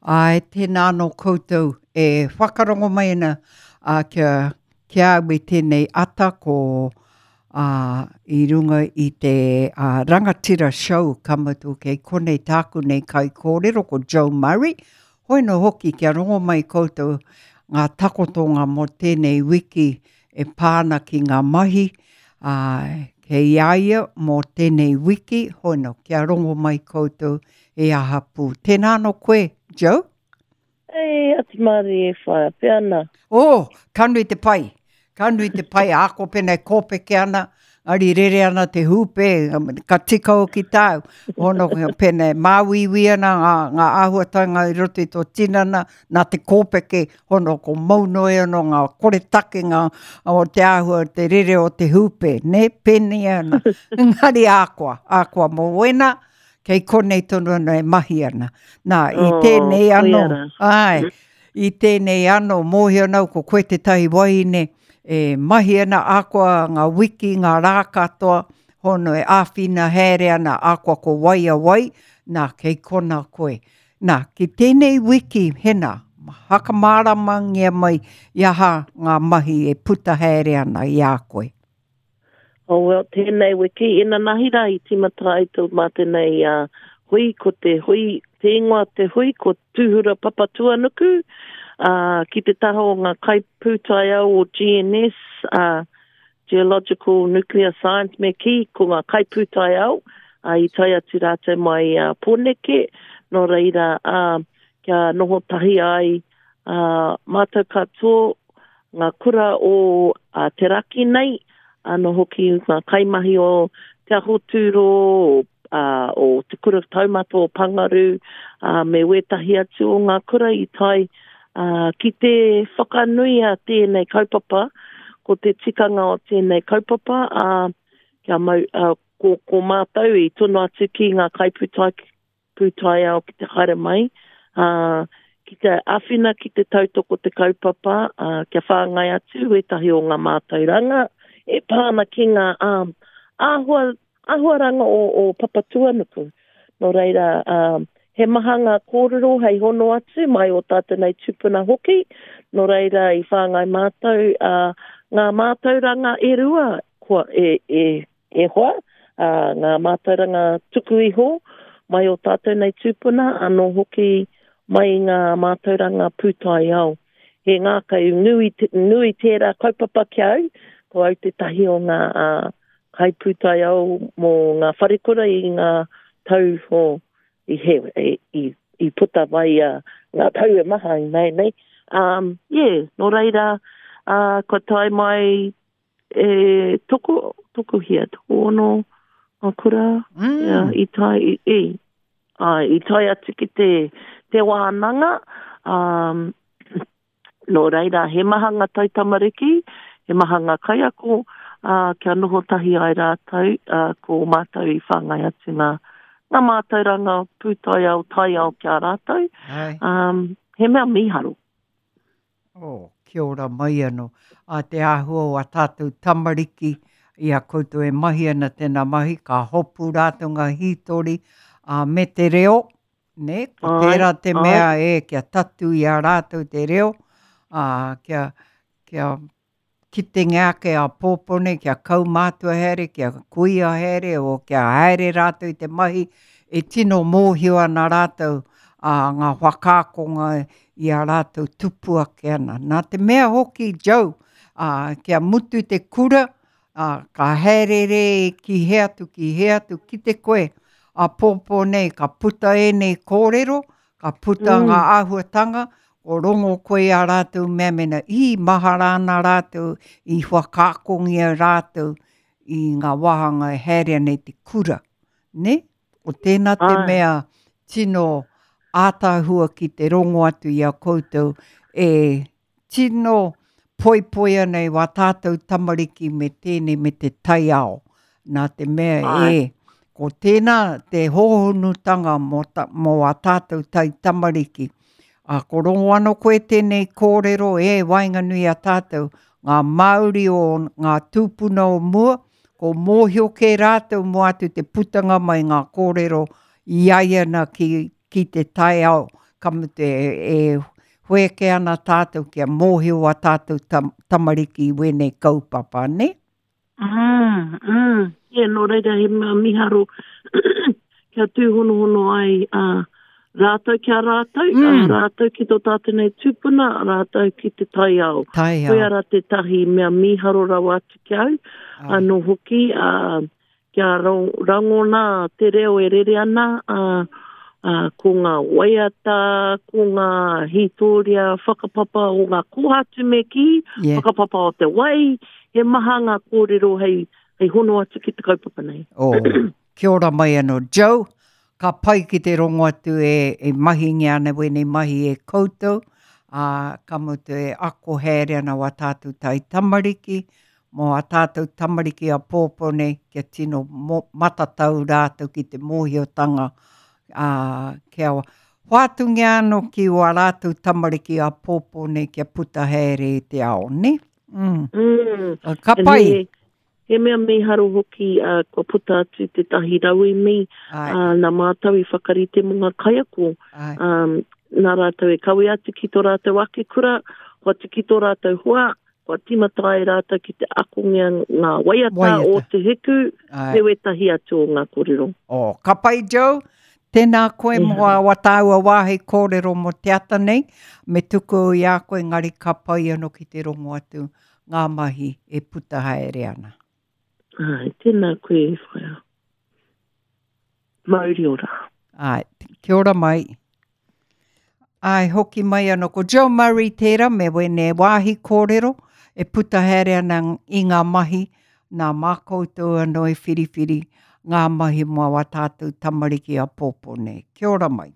Āe, tēnā anō koutou e whakarongo mai ana a, kia, ki a au i tēnei ata ko a, i runga i te a, Rangatira Show ka mutu kei konei tāku nei kaikōrero ko Joe Murray. Hoi nō hoki kia rongo mai koutou ngā takotonga mō tēnei wiki e pā ana ki ngā mahi, ā, kei a ia mō tēnei wiki, hoi nō, kia rongo mai koutou e aha pū. Tēnā anō koe, Joe? Ei, atu mārie e whaea, pea ana. Oh, ka nui te pai. Ka nui te pai, āko pēnā e kōpeke ana, ari rere ana te hūpē, ka tika hoki tāu. Hono, pēnā e māuiui ana ngā, ngā āhuatanga i roto i tō tinana, nā te kōpeke, hono ko mau noa anō ngā koretakenga o te āhua te rere o te hūpē, nē, pēnei ana. Engari ākoa, ākoa mō wēnā, kei konei tonu ana e mahi ana. Nā, i oh, tēnei anō, āe, i tēnei anō, mōhio ana au ko koe tētahi wahine e mahi ana akoa ngā wiki, ngā rā katoa, hono e āwhina haere ana akoa ko wai a wai, nā, kei kona koe. Nā, ki tēnei wiki, hena, hakamāramangia mai i aha ngā mahi e puta haere ana i a koe. Oh well, tēnei wiki, inanahi rā i tīmata ai tō mātou nei uh, hui, ko te hui, te ingoa te hui, ko Tūhura Papatuanuku, uh, ki te taha o ngā kaipūtaiao o GNS, uh, Geological Nuclear Science me kī, ko ngā kaipūtaiao, uh, i tae atu rātou mai uh, Pōneke, nō reira, uh, kia noho tahi ai uh, mātou katoa, ngā kura o te raki nei, anō hoki ngā kaimahi o Te Aho Tūro, o Te Kura Taumata o Pangaru, me wētahi atu o ngā kura i tae ki te whakanuia tēnei kaupapa, ko te tikanga o tēnei kaupapa, kia mau, ko, ko mātou i tono atu ki ngā kaipūtake, pūtaiao ki te haere mai, ā, ki te āwhina ki te tautoko te kaupapa, ā, kia whāngai atu wētahi o ngā mātauranga e pā ana ki ngā ā, āhua, āhuaranga o, o Papatūānuku. Nō reira, ā, he maha ngā kōrero hei hono atu mai o tātou nei tūpuna hoki, nō reira i whāngai mātou, ā, ngā mātauranga e rua kua, e, e, E hoa, ā, ngā mātauranga tuku iho mai o tātou nei tūpuna, anō hoki mai i ngā mātauranga pūtaiao. He ngākau nui, nui tērā kaupapa ki a au, ko au tētahi o ngā ā, kaipūtaiao mō ngā wharekura i ngā tau o, i, he, i, i, i puta mai a, ngā tau e maha i nei. Um, yeah, nō reira, ā, kua tae mai E toko, tokohia, tokoono ngā kura, mm. yeah, i tae, i, i, ai, i tae atu ki te, te wānanga, um, nō reira, he maha ngā taitamariki, he maha ngā kaiako, ā, kia noho tahi ai rātou, ā, ko mātou i whāngai atu ngā, ngā mātauranga pūtaiao, taiao ki a rātou. Ai. Um, he mea mīharo. Oh, kia ora mai anō. A te āhua o a tātou tamariki i a koutou e mahi ana tēnā mahi, ka hopu rātou ngā hītori a, me te reo, nē, ko tērā te mea e, kia tatu i a rātou te reo, ā, kia, kia kitenga ake āpōpō nei kia kaumātua haere, kia kuia haere, o kia haere rātou i te mahi, e tino mōhio ana rātou a ngā whakaakonga i a rātou tupu ake ana. Nā te mea hoki, Joe, ā, kia mutu te kura, ā, ka haereere ki hea atu, ki hea atu, kite koe, āpōpō nei ka puta ēnei kōrero, ka puta mm. ngā āhuatanga, ko rongo koe i a rātou mea mena i mahara ana rātou, i whakaakongia rātou i ngā wāhanga e haere ana i te kura. Ne? Ko tēnā te mea tino ātaahua ki te rongo atu i a koutou e tino poipoi ana i wā tātou tamariki me tēnei me te taiao. Nā te mea Ai. e, ko tēnā te hōhonutanga mō, ta, mō wā tātou tai tamariki. A, ko rongo anō koe tēnei kōrero e waenganui a tātou, ngā Māori o ngā tūpuna o mua, ko mōhio kē rātou mō atu te putanga mai ngā kōrero i ai ana ki, ki te taiao, ka mutu e, e whēke ana tātou kia mōhio a tātou tam, tamariki i wēnei kaupapa, ne? Mm, mm. Yeah, nō reira he mea miharo kia tūhonohono ai uh, rātou ki a rātou, mm. uh, rātou ki tō tātou nei tūpuna, rātou ki te taiao. Taiao. Koia rā tētahi mea miharo rawa atu ki au, anō hoki, uh, kia rangona te reo e rere ana, uh, uh, ko ngā waiata, ko ngā hītōria whakapapa o ngā kōhatu me kī, yeah. whakapapa o te wai, he maha ngā kōrero hei, hei hono atu ki te kaupapa nei. Oh, kia ora mai anō. Joe, ka pai ki te rongo atu e, e mahingia ana wēnei mahi e koutou, ā, ka mutu e ako haere ana wā tātou tai tamariki, mō ā tātou tamariki āpōpō nei kia tino matatau rātou ki te mōhiotanga, ā, kia hoatungia anō ki wā rātou tamariki āpōpō nei kia puta haere i te ao, nē? Mm. Mm. Ka pai. He, he mea mīharo hoki uh, kua puta atu tētahi rauemi uh, nā mātou i whakarite mō ngā kaiako. Um, nā rātou e kawe atu ki tō rātou ake kura, hoatu ki tō rātou hoa, kua tīmata ai rātou ki te akongia ngā waiata, waiata. o Te Hiku, me wētahi atu o ngā kōrero. Oh, ka pai, Joe. Tēnā koe mō yeah. a tāua wāhi kōrero mō te ata nei, me tuku i a koe engari ka pai anō ki te rongo atu ngā mahi e puta haere ana. Ai, tēnā koe e whaea. Mauri ora. Ai, kia ora mai. Ai, hoki mai anō ko Joe Murray tērā me wēnei wāhi kōrero e puta haere ana i ngā mahi nā mā koutou anō i whiriwhiri ngā mahi mō wā tātou tamariki āpōpō nei. Kia ora mai.